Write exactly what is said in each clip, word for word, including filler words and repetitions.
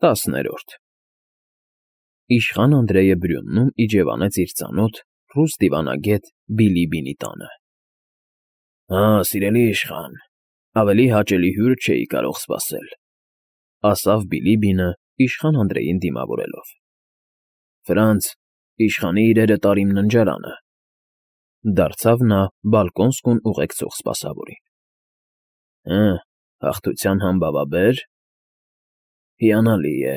ՏԱՍՆԵՐՈՐԴ Իշխան Անդրեյը Բրյուննում իջևանեց իր ծանոթ, ռուս դիվանագետ Բիլիբինի տանը։ ֊ Ա՜, սիրելի իշխան, ավելի հաճելի հյուր չէի կարող սպասել,֊ ասավ Բիլիբինը, իշխան Անդրեյին դիմավորելով։ ֊ Ֆրանց, իշխանի իրերը տարին ննջարանը,֊ դարձավ նա բալկոնսկուն ուղեկցող սպասավորին։ ֊ Հը, հաղթության համբավաբե՞ր… Հիանալի է,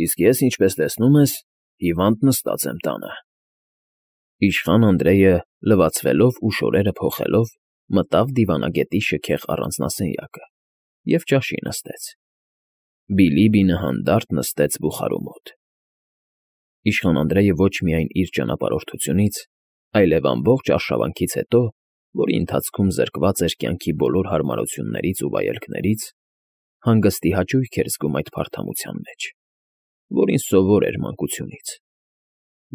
իսկ ես, ինչպես տեսնում ես, հիվանդ նստած եմ տանը։ Իշխան Անդրեյը, լվացվելով ու շորերը փոխելով, մտավ դիվանագետի շքեղ առանձնասենյակը և ճաշի նստեց։ Բիլիբինը հանդարտ նստեց բուխարու մոտ։ Իշխան Անդրեյը ոչ միայն իր ճանապարհորդությունից, այլև ամբողջ արշավանքից հետո, որի ընթացքում զրկված էր կյանքի բոլոր հարմարություններից ու վայելքներից, հանգստի հաճույք էր զգում այդ փարթամության մեջ, որին սովոր էր մանկությունից։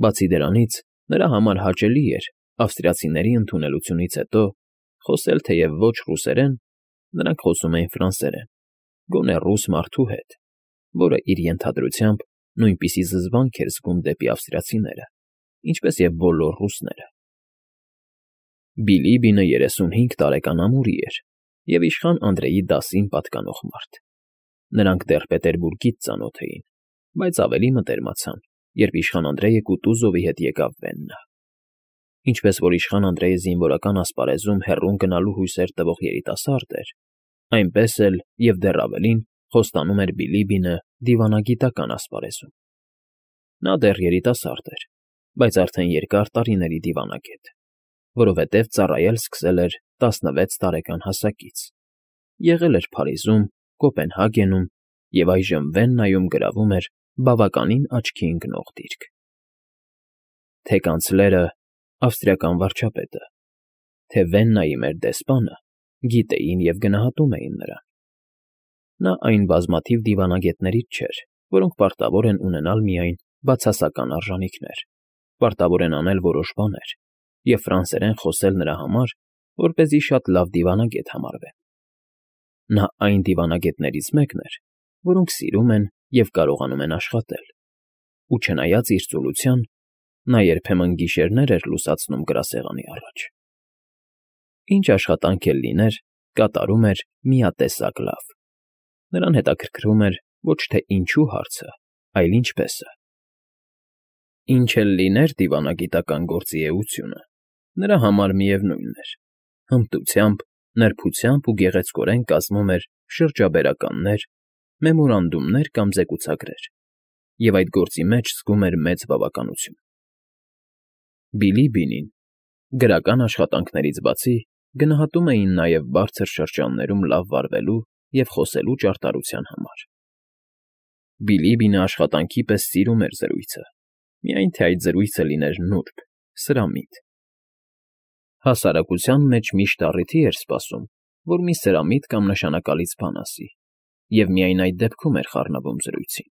Բացի դրանից, նրա համար հաճելի էր, ավստրիացիների ընդունելությունից հետո, խոսել թեև ոչ ռուսերեն, նրանք խոսում էին ֆրանսերեն, գոնե ռուս մարդու հետ, որը իր ենթադրությամբ նույնպիսի զզվանք էր զգում դեպի ավստրիացիները, ինչպես և բոլոր ռուսները։ Բիլիբինը երեսունհինգ տարեկան ամուրի էր և իշխան Անդրեյի դասին պատկանող մարդ։ Նրանք դեռ Պետերբուրգից ծանոթ էին, բայց ավելի մտերմացան, երբ իշխան Անդրեյը Կուտուզովի հետ եկավ Վեննա։ Ինչպես որ իշխան Անդրեյը զինվորական ասպարեզում հեռուն գնալու հույսեր տվող երիտասարդ էր, այնպես էլ և դեռ ավելին խոստանում էր Բիլիբինը դիվանագիտական ասպարեզում։ Նա դեռ երիտասարդ էր, բայց արդեն երկար տարիների դիվանագետ, որովհետև ծառայել սկսել էր տասնվեց տարեկան հասակից, եղել էր Փարիզում, Կոպենհագենում և այժմ Վեննայում գրավում էր բավականին աչքի ընկնող դիրք։ Թե կանցլերը, ավստրիական վարչապետը, թե Վեննայի մեր դեսպանը գիտեին և գնահատում էին նրան։ Նա այն բազմաթիվ դիվանագետներից չէր, որոնք պարտավոր են ունենալ միայն բացասական արժանիքներ, պարտավոր են անել որոշ բաներ և ֆրանսերեն խոսել նրա համար, որպեսզի շատ լավ դիվանագետ համարվեն։ Նա այն դիվանագետներից մեկն էր, որոնք սիրում են և կարողանում են աշխատել, ու չնայած իր ծուլության, նա երբեմն գիշերներ էր լուսացնում գրասեղանի առաջ։ Ինչ աշխատանք էլ լիներ, կատարում էր միատեսակ լավ։ Նրան հետաքրքրում էր ոչ թե ինչու հարցը, այլ ինչպես֊ը։ Ինչ էլ լիներ դիվանագիտական գործի էությունը, նրա համար միևնույն էր. հմտությամբ, նրբությամբ ու գեղեցկորեն կազմում էր շրջաբերականներ, մեմորանդումներ կամ զեկուցագրեր, և այդ գործի մեջ զգում էր մեծ բավականություն։ Բիլիբինին, գրական աշխատանքներից բացի, գնահատում էին նաև բարձր շրջաններում լավ վարվելու և խոսելու ճարտարության համար։ Բիլիբինը աշխատանքի պես սիրում էր զրույցը, միայն թե այդ զրույցը լիներ նուրբ, սրամիտ։ Հասարակության մեջ միշտ առիթի էր սպասում, որ մի սրամիտ կամ նշանակալից բան ասի, և միայն այդ դեպքում էր խառնվում զրույցին։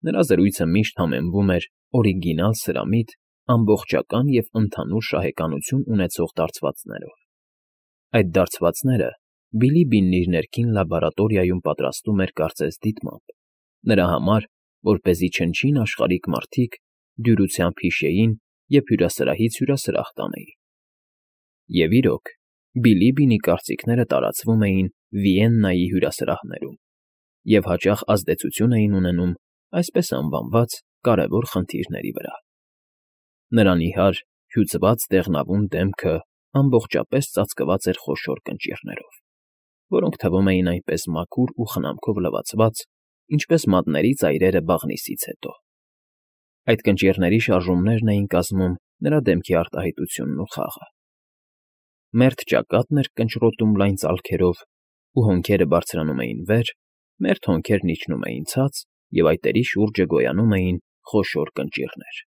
Նրա զրույցը միշտ համեմվում էր օրիգինալ սրամիտ, ամբողջական և ընդհանուր շահեկանություն ունեցող դարձվածներով։ Այդ դարձվածները Բիլիբինն իր ներքին լաբորատորիայում պատրաստում էր կարծես դիտմամբ, նրա համար, որպեսզի չնչին աշխարհիկ մարդիկ դյուրությամբ հիշեին և հյուրասրահից հյուրասրահ տանեին։ Եվ իրոք, Բիլիբինի կարծիքները տարածվում էին Վիեննայի հյուրասրահներում և հաճախ ազդեցություն էին ունենում այսպես անվանված կարևոր խնդիրների վրա։ Նրա նիհար, հյուծված դեղնավուն դեմքը ամբողջապես ծածկված էր խոշոր կնճիռներով, որոնք թվում էին այնպես մաքուր ու խնամքով լվացված, ինչպես մատների ծայրերը բաղնիսից հետո։ Այդ կնճիռների շարժումներն էին կազմում նրա դեմքի արտահայտությունն ու խաղը։ Մերթ ճակատն էր կնճռոտում լայն ծալքերով, ու հոնքերը բարձրանում էին վեր, մերթ հոնքերն իջնում էին ցած, և այտերի շուրջը գոյանում էին խոշոր կնճիռներ։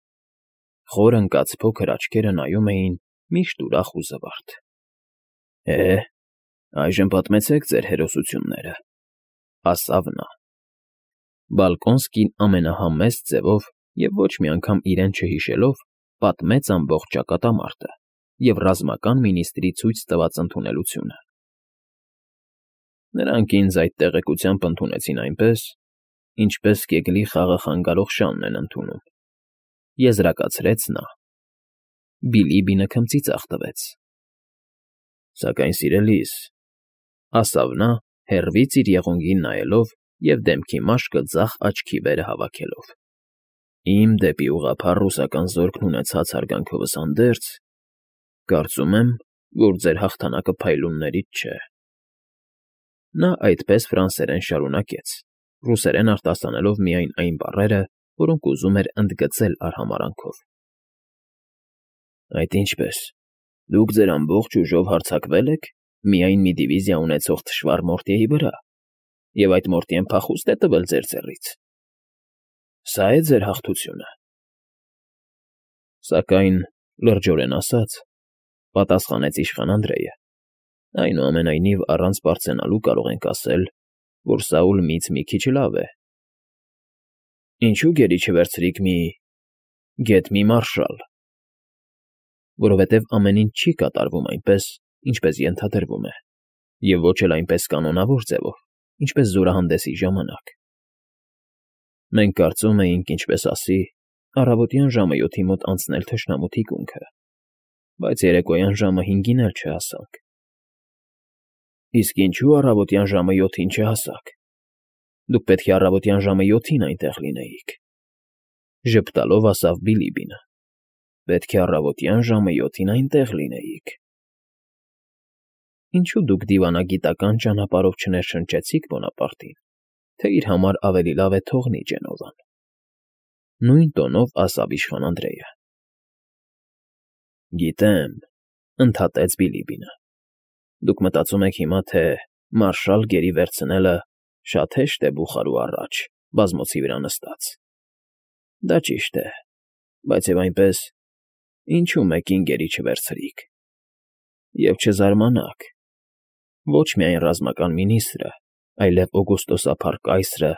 Խոր ընկած փոքր աչքերը նայում էին միշտ ուրախ ու զվարթ։ ֊ Է, այժմ պատմեցեք ձեր հերոսությունները,֊ ասավ նա։ Բալկոնսկին ամենահամեստ ձևով և ոչ մի անգամ իրեն չհիշելով պատմեց ամբողջ ճակատամարտը և ռազմական մինիստրի ցույց տված ընդունելությունը։ Նրանք ինձ այդ տեղեկությամբ ընդունեցին այնպես, ինչպես կեգլի խաղը խանգարող շանն են ընդունում,֊ եզրակացրեց նա։ Բիլիբինը քմծիծաղ տվեց։ Սակայն, սիրելիս,֊ ասավ նա, հեռվից իր եղունգին նայելով և դեմքի մաշկը ձախ աչքի վերը հավաքելով,֊ իմ դեպի ուղղափառ ռուսական զորքն ունեցած հարգանքովս հանդերձ, կարծում եմ, որ ձեր հաղթանակը փայլուններից չէ… Նա այդպես ֆրանսերեն շարունակեց, ռուսերեն արտասանելով միայն այն բառերը, որոնք ուզում էր ընդգծել արհամարհանքով։ Այդ ինչպե՞ս, դուք ձեր ամբողջ ուժով հարձակվե՞լ եք միայն մի դիվիզիա ունեցող թշվառ Մորտյեի վրա, և այդ Մորտյեն փախուստ է տվել ձեր ձեռից… Սա՞ է ձեր հաղթությունը… Սակայն, լրջորեն ասած,֊ պատասխանեց իշխան Անդրեյը,֊ այնուամենայնիվ առանց պարծենալու կարող ենք ասել, որ Սաուլ միից մի քիչ լավ է… Ինչո՞ւ գերի չվերցրիք մի… գեթ մի մարշալ… Որովհետև ամեն ինչ չի կատարվում այնպես, ինչպես ենթադրվում է, և ոչ էլ այնպես կանոնավոր ձևով, ինչպես զորահանդեսի ժամանակ… Մենք կարծում էինք, ինչպես ասի, առավոտյան ժամը յոթի մոտ անցնել թշնամու թիկունքը, բայց երեկոյան ժամը հինգին էլ չհասանք… Իսկ ինչո՞ւ առավոտյան ժամը յոթին չհասաք… Դուք պետք է առավոտյան ժամը յոթին այնտեղ լինեիք,֊ ժպտալով ասավ Բիլիբինը,֊ պետք է առավոտյան ժամը յոթին այնտեղ լինեիք… Ինչո՞ւ դուք դիվանագիտական ճանապարհով չներշնչեցիք Բոնապարտին, թե իր համար ավելի լավ է թողնի Ջենովան,֊ նույն տոնով ասավ իշխան Անդրեյը։ ֊ Գիտեմ,֊ ընդհատեց Բիլիբինը,֊ դուք մտածում եք հիմա, թե մարշալ գերի վերցնելը շատ հեշտ է բուխարու առաջ, բազմոցի վրա նստած… Դա ճիշտ է, բայց և այնպես, ինչո՞ւ մեկին գերի չվերցրիք… Եվ չզարմանաք, ոչ միայն ռազմական մինիստրը, այլև օգոստոսափառ կայսրը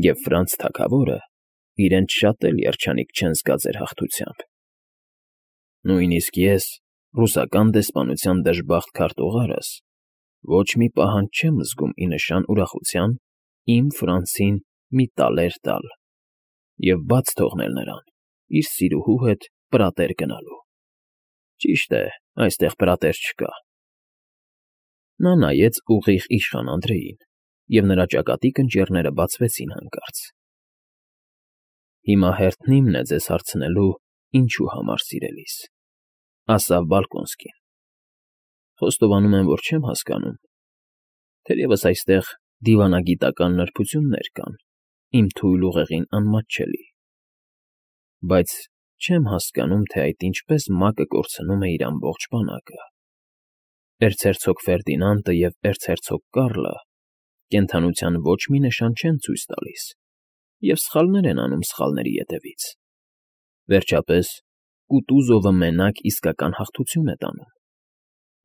և Ֆրանց թագավորը իրենց շատ էլ երջանիկ չեն զգա ձեր հաղթությամբ… Նույնիսկ ես, ռուսական դեսպանության դժբախտ քարտուղարս, ոչ մի պահանջ չեմ զգում ի նշան ուրախության իմ Ֆրանցին մի տալեր տալ և բաց թողնել նրան իր սիրուհու հետ պրատեր գնալու… Ճիշտ է, այստեղ պրատեր չկա… Նա նայեց ուղիղ իշխան Անդրեյին, և նրա ճակատի կնճիռները բացվեցին հանկարծ։ Հիմա հերթն իմն է ձեզ հարցնելու, ինչու համար, սիրելիս,֊ ասավ Բալկոնսկին։ Խոստովանում եմ, որ չեմ հասկանում, թերևս այստեղ դիվանագիտական նրբություններ կան, իմ թույլ ուղեղին անմատչելի, բայց չեմ հասկանում, թե այդ ինչպես մակը կորցնում է իր ամբողջ բանակը… Էրցհերցոգ Ֆերդինանդը և էրցհերցոգ Կարլը կենդանության ոչ մի նշան չեն ցույց տալիս և սխալներ են անում սխալների ետևից… Վերջապես, Կուտուզովը մենակ իսկական հաղթություն է տանում,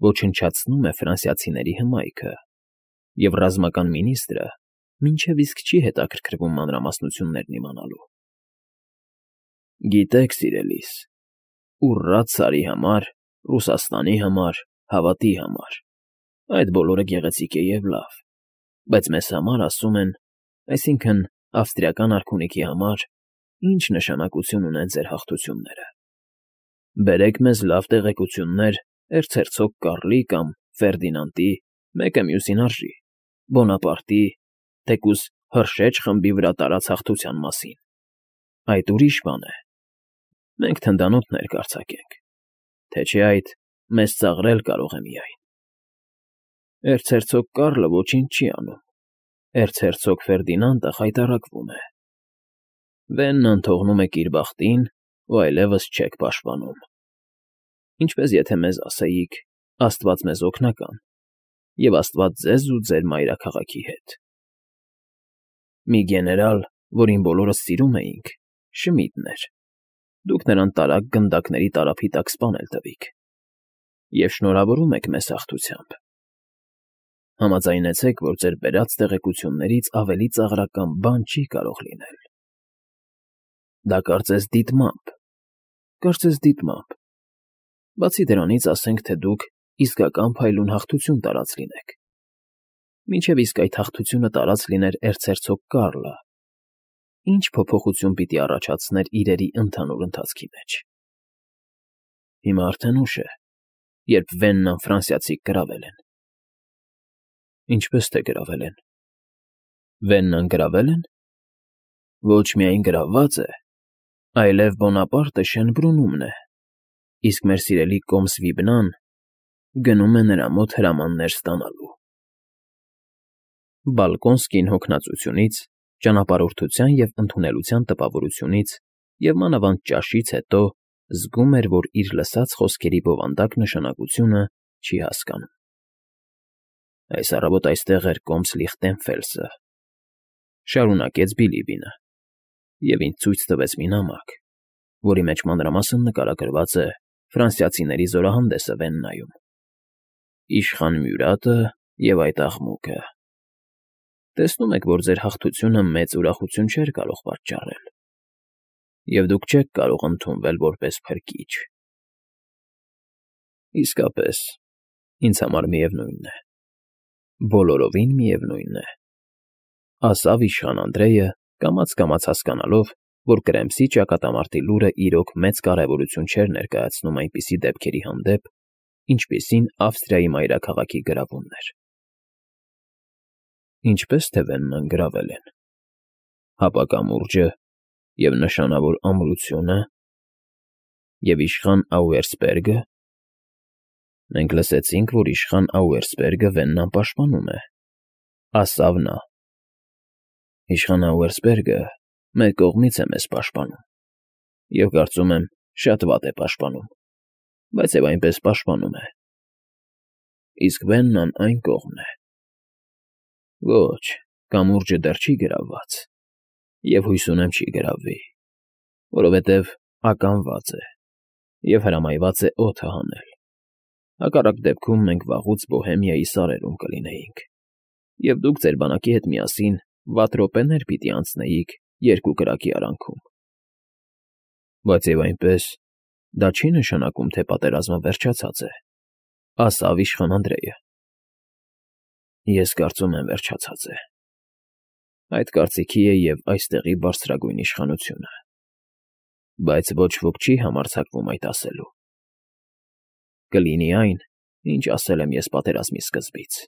ոչնչացնում է ֆրանսիացիների հմայքը, և ռազմական մինիստրը մինչև իսկ չի հետաքրքրվում մանրամասնություններն իմանալու… Գիտեք, սիրելիս, ուռա ցարի համար, Ռուսաստանի համար, հավատի համար, այդ բոլորը գեղեցիկ է և լավ, բայց մեզ համար, ասում են, այսինքն՝ ավստրիական արքունիքի համար, ի՞նչ նշանակություն ունեն ձեր հաղթությունները… Բերեք մեզ լավ տեղեկություններ էրցհերցոգ Կարլի կամ Ֆերդինանդի, մեկը մյուսին արժի, Բոնապարտի, թեկուզ Հրշեջ խմբի վրա տարած հաղթության մասին… Այդ ուրիշ բան է… Մենք թնդանոթներ կարձակենք, թե չէ այդ մեզ ծաղրել կարող է միայն… Էրցհերցոգ Կարլը ոչինչ չի անում, էրցհերցոգ Ֆերդինանդը խայտառակվում է… Վեննան թողնում եք իր բախտին ու այլևս չեք պաշտպանում… Ինչպես եթե մեզ ասեիք. «Աստված մեզ օգնական, և Աստված ձեզ ու ձեր մայրաքաղաքի հետ»… Մի գեներալ, որին բոլորս սիրում էինք, Շմիդն էր, դուք նրան տարագ գնդակների տարափի տակ սպանել տվիք… Եվ շնորհավորում եք մեզ հաղթությամբ… Համաձայնեցեք, որ ձեր բերած տեղեկություններից ավելի ծաղրական բան չի կարող լինել… Դա կարծես դիտմամբ, կարծես դիտմամբ… Բացի դրանից, ասենք թե դուք իսկական փայլուն հաղթություն տարած լինեք… Մինչև իսկ այդ հաղթությունը տարած լիներ էրցհերցոգ Կարլը, ինչ փոփոխություն պիտի առաջացներ իրերի ընդհանուր ընթացքի մեջ։ Հիմա արդեն ուշ է, երբ Վեննան ֆրանսիացիք գրավել են։ Ինչպես թե գրավել են։ Վեննան գրավել են։ Ոչ միայն գրաված է, այլև Բոնապարտը Շենբրունումն է, իսկ մեր սիրելի կոմս Վիբնան գնում է նրա մոտ հրամաններ ստանալու։ Բալկոնսկին հոգնածությունից, ճանապարհորդության և ընդունելության տպավորությունից և մանավանդ ճաշից հետո զգում էր, որ իր լսած խոսքերի բովանդակ նշանակությունը չի հասկանում։ Այս առավոտ այստեղ էր կոմս Լիխտենֆելսը, շարունակեց Բիլիբինը, և ինձ ցույց տվեց մի նամակ, որի մեջ մանրամասն նկարագրված է ֆրանսիացիների զորահանդեսը Վեննայում, իշխան Մյուրատը և այդ աղմուկը։ Տեսնում եք, որ ձեր հաղթությունը մեծ ուրախություն չէր կարող պատճառել, և դուք չեք կարող ընդունվել որպես փրկիչ։ Իսկապես, ինձ համար միևնույն է, բոլորովին միևնույն է, ասավ իշխան Անդրեյը, կամաց֊կամաց հասկանալով, որ Կրեմսի ճակատամարտի լուրը իրոք մեծ կարևորություն չէր ներկայացնում այնպիսի դեպքերի հանդեպ, ինչպիսին Ավստրիայի մայրաքաղաքի գրավումն էր։ Ինչպես թե Վեննան գրավել են։ Հապա կամուրջը և նշանավոր ամրությունը և իշխան Աուերսպերգը։ Մենք լսեցինք, որ իշխան Աուերսպերգը Վեննան պաշտպանում է, ասավ նա։ Իշխան Աուերսպերգը մեր կողմից է մեզ պաշտպանում, և կարծում եմ, շատ վատ է պաշտպանում, բայց և այնպես պաշտպանում է։ Իսկ Վեննան այն կողմն է։ Ոչ, կամուրջը դեռ չի գրավված, և հույս ունեմ չի գրավվի, որովհետև ականված է և հրամայված է օդը հանել։ Հակառակ դեպքում մենք վաղուց Բոհեմիայի սարերում կլինեինք, և դուք ձեր բանակի հետ միասին վատ րոպեներ պիտի անցնեիք երկու կրակի արանքում։ Բայց և այնպես, դա չի նշանակում, թե պատերազմը վերջացած է, ասավ իշխան Անդրեյը։ Ես կարծում եմ վերջացած է։ Այդ կարծիքի է և այստեղի բարձրագույն իշխանությունը, բայց ոչ ոք չի համարձակվում այդ ասելու։ Կլինի այն, ինչ ասել եմ ես պատերազմի սկզբից,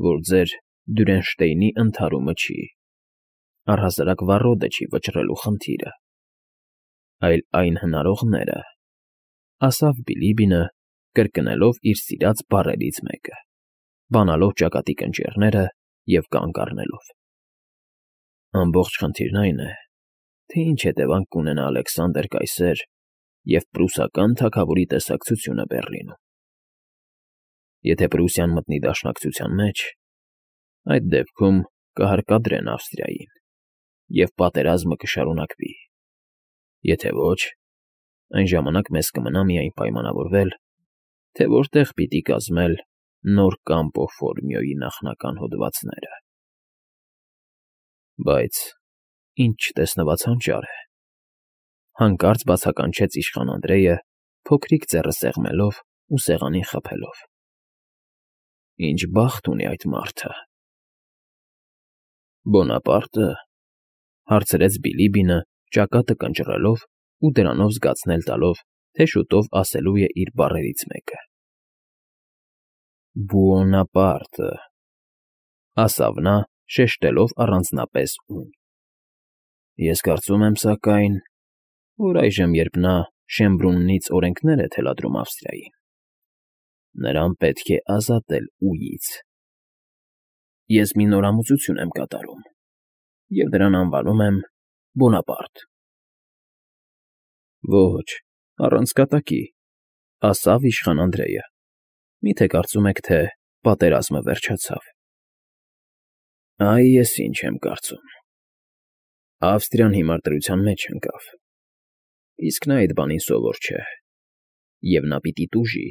որ ձեր Դյուրենշտեյնի ընդհարումը չի, առհասարակ Վառոդը չի վճռելու խնդիրը, այլ այն հնարողները, ասավ Բիլիբինը, կրկնելով իր սիրած բառերից մեկը, բանալով ճակատի կնճիռները և կանգ առնելով։ Ամբողջ խնդիրն այն է, թե ինչ հետևանք կունենա Ալեքսանդր կայսեր և պրուսական թագավորի տեսակցությունը Բեռլինում։ Եթե Պրուսիան մտնի դաշնակցության մեջ, այդ դեպքում կհարկադրեն Ավստրիային, և պատերազմը կշարունակվի։ Եթե ոչ, այն ժամանակ մեզ կմնա միայն պայմանավորվել, թե որտեղ պիտի կազմել նոր Կամպո Ֆորմիոյի նախնական հոդվածները։ Բայց ինչ չտեսնված հանճար է, հանկարծ բացականչեց իշխան Անդրեյը, փոքրիկ ձեռը սեղմելով ու սեղանին խփելով։ Ինչ բախտ ունի այդ մարդը։ Բոնապարտը, հարցրեց Բիլիբինը, ճակատը կնճռելով ու դրանով զգացնել տալով, թե շուտով ասելու է իր բառերից մեկը։ Բուոնապարտը, ասավ նա, շեշտելով առանձնապես ում։ Ես կարծում եմ, սակայն, որ այժմ, երբ նա Շեմբրուննից օրենքներ է թելադրում Ավստրիային, նրան պետք է ազատել ուղից։ Ես մի նորամուծություն եմ կատարում, և դրան անվանում եմ Բոնապարտ։ Ոչ, առանց կատակի, ասավ իշխան Անդրեյը։ Մի՞թե կարծում եք, թե պատերազմը վերջացավ։ Այ ես ինչ եմ կարծում։ Ավստրիան հիմար դրության մեջ ընկավ, իսկ նա այդ բանին սովոր չէ, և նա պիտի տուժի։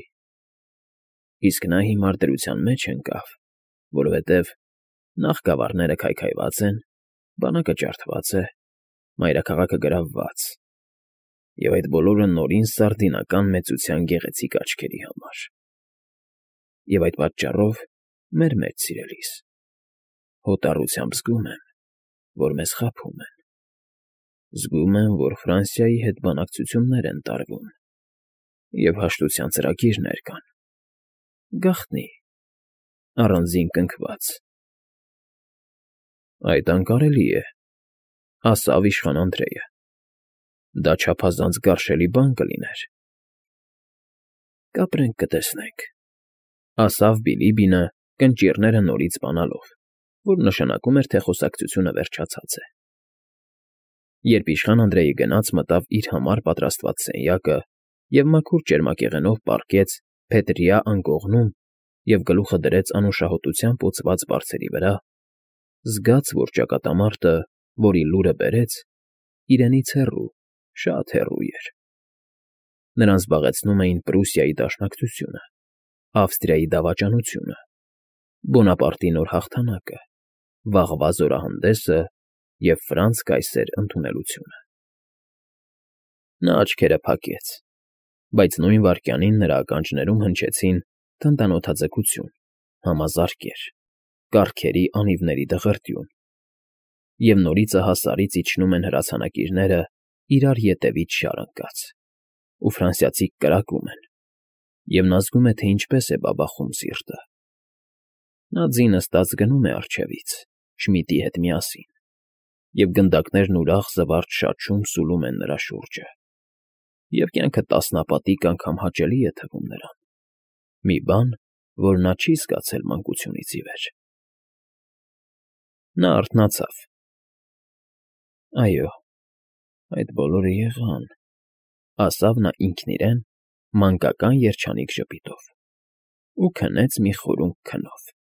Իսկ նա հիմար դրության մեջ ընկավ, որովհետև նախ գավառները քայքայված են, բանակը ջարդված է, մայրաքաղաքը գրավված, և այդ բոլորը նորին սարդինական մեծության գեղեցիկ աչքերի համար։ Եվ այդ պատճառով, մեր մեծ սիրելիս, հոտառությամբ զգում եմ, որ մեզ խաբում են։ Զգում եմ, որ Ֆրանսիայի հետ բանակցություններ են տարվում, և հաշտության ծրագիրներ կան։ Գաղտնի, առանձին կնքված։ ֊ Այդ անկարելի է,֊ ասավ իշխան Անդրեյը։ Դա չափազանց գարշելի բան կլիներ։ ֊ Կապրենք, կտեսնենք,֊ ասավ Բիլիբինը, կնճիռները նորից բանալով, որ նշանակում էր, թե խոսակցությունը վերջացած է։ Երբ իշխան Անդրեյը գնաց մտավ իր համար պատրաստված սենյակը և մաքուր ճերմակեղենով պառկեց փետրյա անկողնում և գլուխը դրեց անուշահոտությամբ օծված բարձերի վրա, զգաց, որ ճակատամարտը, որի լուրը բերեց, իրենից հեռու, շատ հեռու էր։ Նրան զբաղեցնում էին Պրուսիայի դաշնակցությունը, Ավստրիայի դավաճանությունը, Բոնապարտի նոր հաղթանակը, վաղվա զորահանդեսը և Ֆրանց կայսեր ընդունելությունը։ Նա աչքերը փակեց, բայց նույն վայրկյանին նրա ականջներում հնչեցին թնդանոթաձգություն, համազարկեր, կառքերի անիվների դղրդյուն, և նորից ահասարից իջնում են հրացանակիրները իրար ետևից շար ընկած, ու ֆրանսիացիք կրակում են, և նա զգում է, թե ինչպես է բաբախում սիրտը։ Նա ձի նստած գնում է առջևից, Շմիդի հետ միասին, և գնդակներն ուրախ զվարճ շաչում սուլում են նրա շուրջը, և կյանքը տասնապատիկ անգամ հաճելի է թվում նրան, մի բան, որ նա չի զգացել մանկությունից ի վեր։ Նա արթնացավ. «Այո, այդ բոլորը եղան,֊ ասավ նա ինքն իրեն մանկական երջանիկ ժպիտով ու քնեց մի խորունկ քնով»։